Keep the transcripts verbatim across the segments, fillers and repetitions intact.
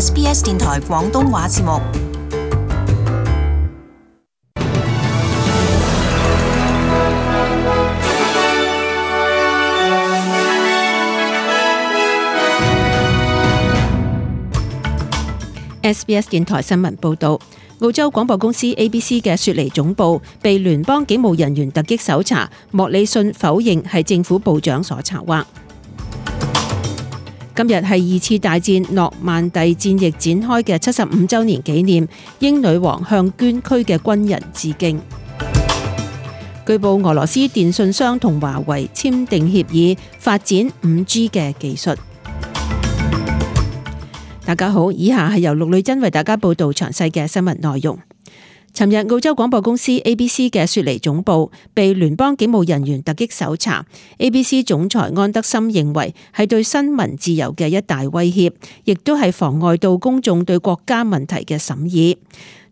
S B S 電台廣東話節目。S B S 電台新聞報導，澳洲廣播公司 A B C 嘅雪梨總部被聯邦警務人員突擊搜查，莫里遜否認係政府部長所策劃。今日係二次大戰諾曼第戰役展開嘅七十五週年紀念，英女王向捐軀嘅軍人致敬。據報俄羅斯電信商同華為簽訂協議，發展五 G 嘅技術。大家好，以下係由陸女珍為大家報道詳細嘅新聞內容。尋日澳洲廣播公司 A B C 嘅雪梨總部被聯邦警務人員突擊搜查， A B C 總裁安德森認為係對新聞自由嘅一大威脅，亦都係妨礙到公眾對國家問題嘅審議。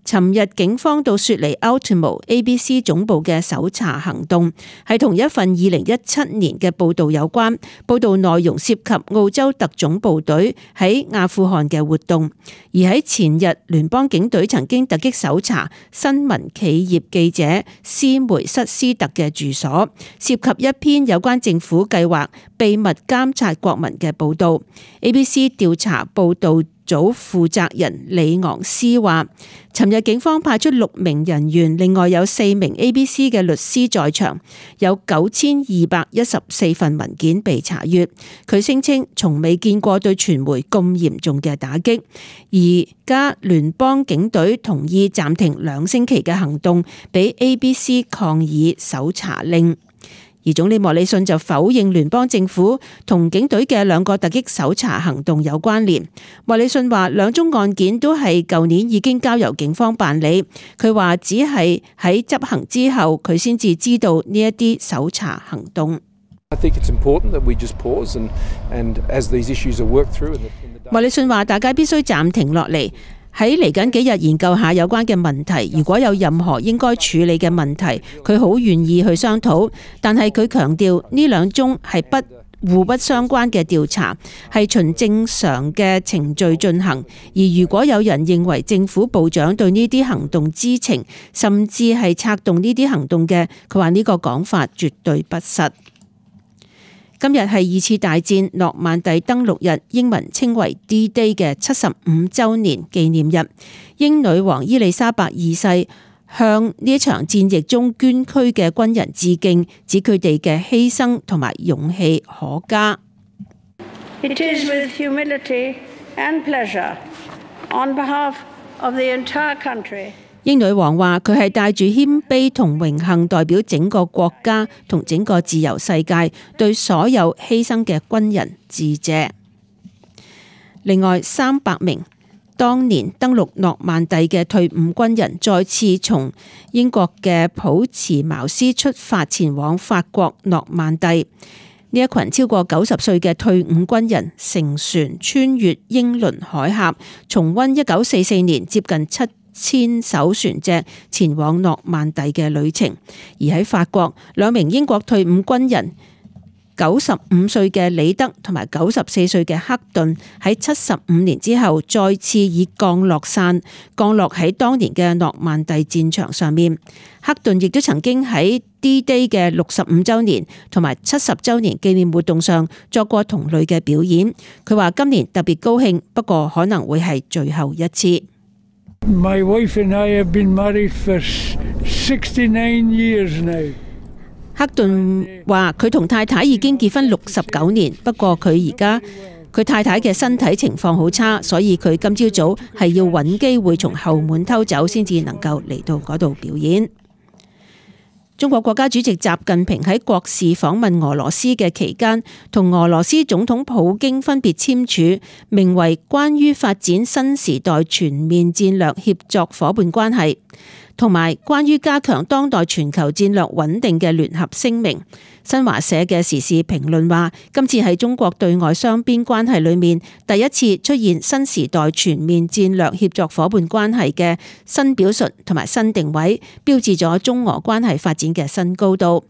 尋日警方到雪梨 Ultimo A B C 總部嘅搜查行動係同一份二零一七年嘅報道有關，報道內容涉及澳洲特種部隊喺阿富汗嘅活動。而喺前日，聯邦警隊曾經突擊搜查新聞企業記者斯梅瑟斯特嘅住所，涉及一篇有關政府計劃秘密監察國民嘅報道。A B C 調查報道組負責人李昂斯話，尋日警方派出六名人員，另外有四名 A B C 嘅律師在場，有九千二百一十四份文件被查閱。佢聲稱從未見過對傳媒咁嚴重嘅打擊。而家聯邦警隊同意暫停兩星期嘅行動，俾 A B C 抗議搜查令。而總理莫里遜就否認聯邦政府同警隊嘅兩個突擊搜查行動有關聯。莫里遜話兩宗案件都係舊年已經交由警方辦理，佢話只係喺執行之後佢先至知道呢一啲搜查行動。莫里遜話大家必須暫停落嚟，喺嚟緊幾日研究下有關嘅問題，如果有任何應該處理嘅問題，佢好願意去商討。但係佢強調呢兩宗係不互不相關嘅調查，係循正常嘅程序進行。而如果有人認為政府部長對呢啲行動知情，甚至係策動呢啲行動嘅，佢話呢個講法絕對不實。今日係二次大戰諾曼第登陸日，英文稱為 D-Day 嘅七十五週年紀念日。英女王伊麗莎白二世向呢場戰役中捐軀嘅軍人致敬，指佢哋嘅犧牲同埋勇氣可嘉。It is with humility and pleasure on behalf of the entire country. 英女王話佢係帶住謙卑同榮幸，代表整個國家同整個自由世界，對所有犧牲嘅軍人致謝。另外，三百名當年登陸諾曼第嘅退伍軍人再次從英國嘅普茨茅斯出發，前往法國諾曼第。呢一群超過九十歲嘅退伍軍人乘船穿越英倫海峽，重溫一九四四年接近七千艘船隻前往諾曼第嘅旅程。而喺法國，兩名英國退伍軍人九十五歲嘅李德同埋九十四歲嘅克頓喺七十五年之後再次以降落傘降落喺當年嘅諾曼第戰場上面。克頓亦都曾經喺 D-Day 嘅六十五週年同埋七十週年紀念活動上作過同類嘅表演。佢話今年特別高興，不過可能會係最後一次。My wife and I have been married for sixty-nine years now. 克頓話佢同太太已經結婚六十九年，不過佢而家佢太太嘅身體情況好差，所以佢今朝早係要揾機會從後門偷走，先至能夠嚟到嗰度表演。中國國家主席習近平喺國事訪問俄羅斯嘅期間，同俄羅斯總統普京分別簽署名為《關於發展新時代全面戰略協作夥伴關係》同埋關於加強當代全球戰略穩定嘅聯合聲明。新華社嘅時事評論話，今次係中國對外雙邊關係裏面第一次出現新時代全面戰略協作夥伴關係嘅新表述同埋新定位，標誌咗中俄關係發展嘅新高度。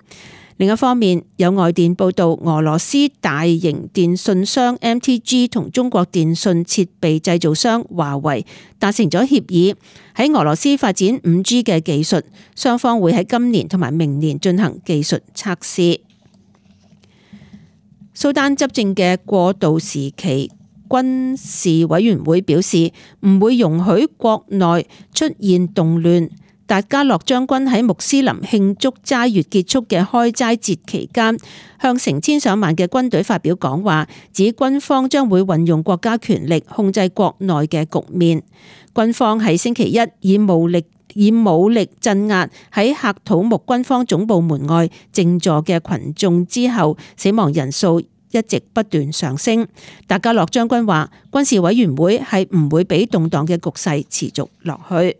另一方面，有外電報道，俄羅斯大型電信商 M T G 同中國電信設備製造商華為達成咗協議，喺俄羅斯發展 五 G 嘅技術，雙方會喺今年同埋明年進行技術測試。蘇丹執政嘅過渡時期軍事委員會表示，唔會容許國內出現動亂。達加洛將軍喺穆斯林慶祝齋月結束嘅開齋節期間，向成千上萬嘅軍隊發表講話，指軍方將會運用國家權力控制國內嘅局面。軍方喺星期一以武力以武力鎮壓喺喀土穆軍方總部門外靜坐嘅群眾之後，死亡人數一直不斷上升。達加洛將軍話，軍事委員會係唔會俾動盪嘅局勢持續落去。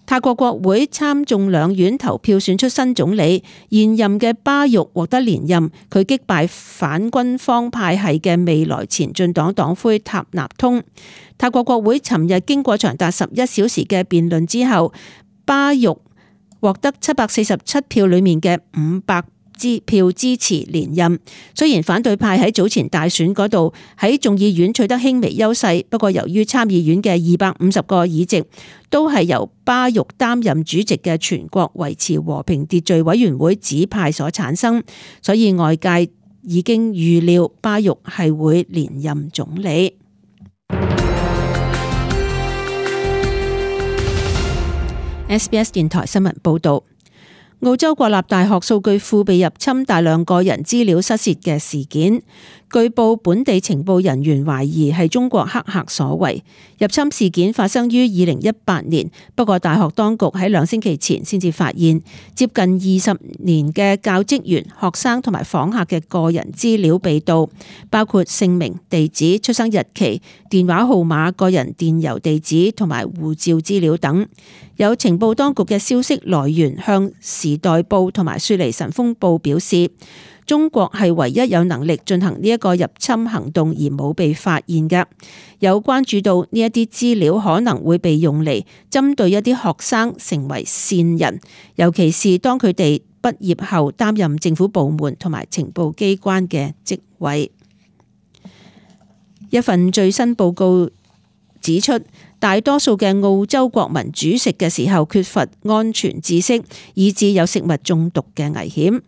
泰國國會參眾兩院投票選出新總理，現任嘅巴育獲得連任，佢擊敗反軍方派系嘅未來前進黨黨魁塔納通。泰國國會尋日經過長達十一小時嘅辯論之後，巴育獲得七百四十七票裏面嘅五百票支持連任。雖然反對派喺早前大選嗰度喺眾議院取得輕微優勢，不過由於參議院嘅二百五十個議席都係由巴育擔任主席嘅全國維持和平秩序委員會指派所產生，所以外界已經預料巴育係會連任總理。S B S 電台新聞報道。澳洲國立大學數據庫被入侵，大量個人資料失竊嘅事件，據報本地情報人員懷疑係中國黑客所為。入侵事件發生於二零一八年，不過大學當局喺兩星期前先至發現，接近二十年嘅教職員、學生同埋訪客嘅個人資料被盜，包括姓名、地址、出生日期、電話號碼、個人電郵地址同埋護照資料等。有情報當局嘅消息來源向時代報同埋雪梨晨鋒報表示，中國係唯一有能力進行呢一個入侵行動而冇被發現嘅。有關注到呢一啲資料可能會被用嚟針對一啲學生成為線人，尤其是當佢哋畢業後擔任政府部門同埋情報機關嘅職位。一份最新報告指出，大多數嘅澳洲國民煮食嘅時候缺乏安全知識，以致有食物中毒嘅危險。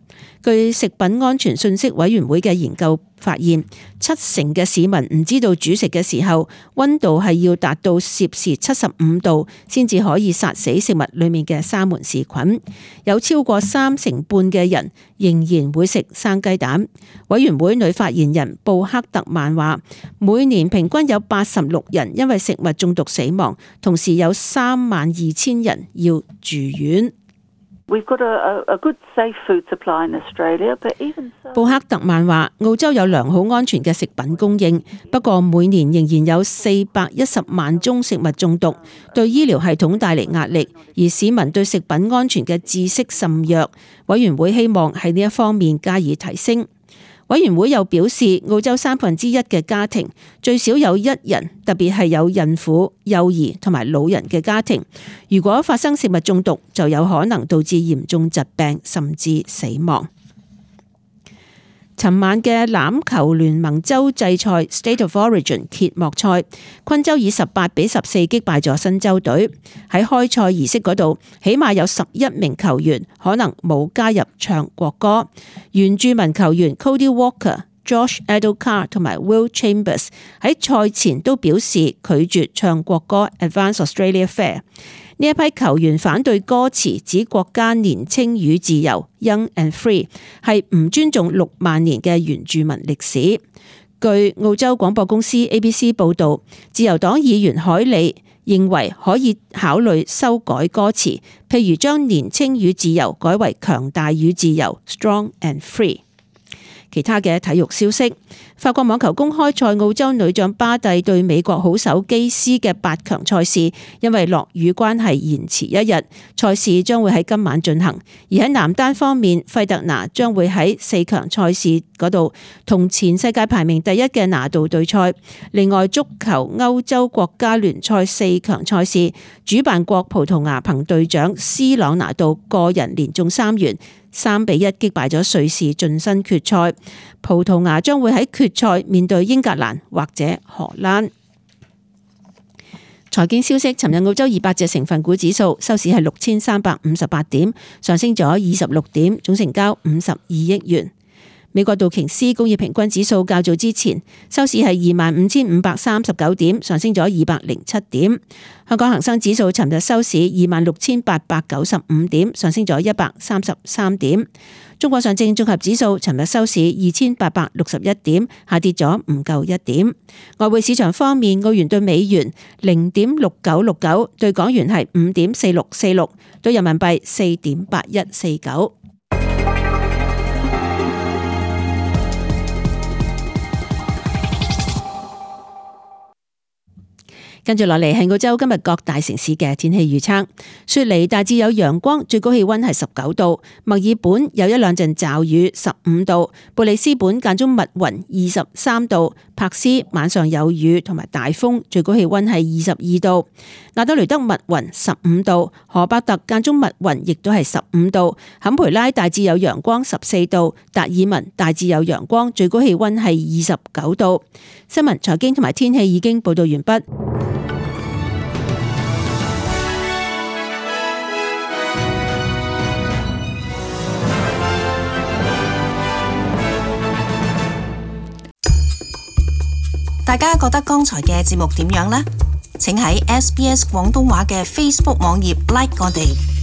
據食品安全信息委員會嘅研究發現，七成嘅市民唔知道煮食嘅時候溫度係要達到攝氏七十五度先至可以殺死食物裏面嘅沙門氏菌。有超過三成半嘅人仍然會食生雞蛋。委員會女發言人布克特曼話，每年平均有八十六人因為食物中毒死亡，同時有三萬二千人要住院。布克特曼話，澳洲有良好安全嘅食品供應，不過每年仍然有四百一十萬宗食物中毒，對醫療系統帶嚟壓力，而市民對食品安全嘅知識甚弱。委員會希望喺呢一方面加以提升。委員會又表示，澳洲三分之一嘅家庭最少有一人，特別係有孕婦、幼兒同埋老人嘅家庭，如果發生食物中毒，就有可能導致嚴重疾病甚至死亡。尋晚嘅欖球聯盟洲際賽 State of Origin 揭幕賽，昆州以十八比十四擊敗咗新州隊。喺開賽儀式嗰度，起碼有十一名球員可能冇加入唱國歌。原住民球員 Cody Walker、Josh Adokar 同埋 Will Chambers 喺賽前都表示拒絕唱國歌 Advance Australia Fair。呢一批球員反對歌詞指國家年青與自由 Young and Free 係唔尊重六萬年嘅原住民歷史。據澳洲廣播公司 A B C 報導，自由黨議員海利認為可以考慮修改歌詞，譬如將年青與自由改為強大與自由 Strong and Free。其他嘅體育消息，法國網球公開賽澳洲女將巴蒂對美國好手基斯嘅八強賽事，因為落雨關係延遲一日，賽事將會喺今晚進行。而喺男單方面，費特拿將會喺四強賽事嗰度同前世界排名第一嘅拿度對賽。另外，足球歐洲國家聯賽四強賽事，主辦國葡萄牙憑隊長斯朗拿度個人連中三元，三比一擊敗咗瑞士晉身決賽。葡萄牙將會喺決賽面對英格蘭或者荷蘭。財經消息，尋日澳洲二百隻成分股指數收市係六千三百五十八點，上升咗二十六點，總成交五十二億元。美國道瓊斯工業平均指數較早之前收市係二萬五千五百三十九點，上升咗二百零七點。香港恒生指數尋日收市二萬六千八百九十五點，上升咗一百三十三點。中國上證綜合指數尋日收市二千八百六十一點，下跌咗唔夠一點。外匯市場方面，澳元對美元零點六九六九，對港元係五點四六四六，對人民幣四點八一四九。跟住落嚟係澳洲今日各大城市嘅天氣預測。雪梨大致有陽光，最高氣溫係十九度；墨爾本有一兩陣驟雨，十五度；布里斯本間中密雲，二十三度；柏斯晚上有雨同埋大風，最高氣溫係二十二度；亞德雷德密雲，十五度；荷伯特間中密雲，亦都係十五度；坎培拉大致有陽光，十四度；達爾文大致有陽光，最高氣溫係二十九度。新聞、財經同埋天氣已經報道完畢。大家覺得剛才嘅節目點樣呢？請喺 S B S 廣東話嘅 Facebook 網頁 like 我哋。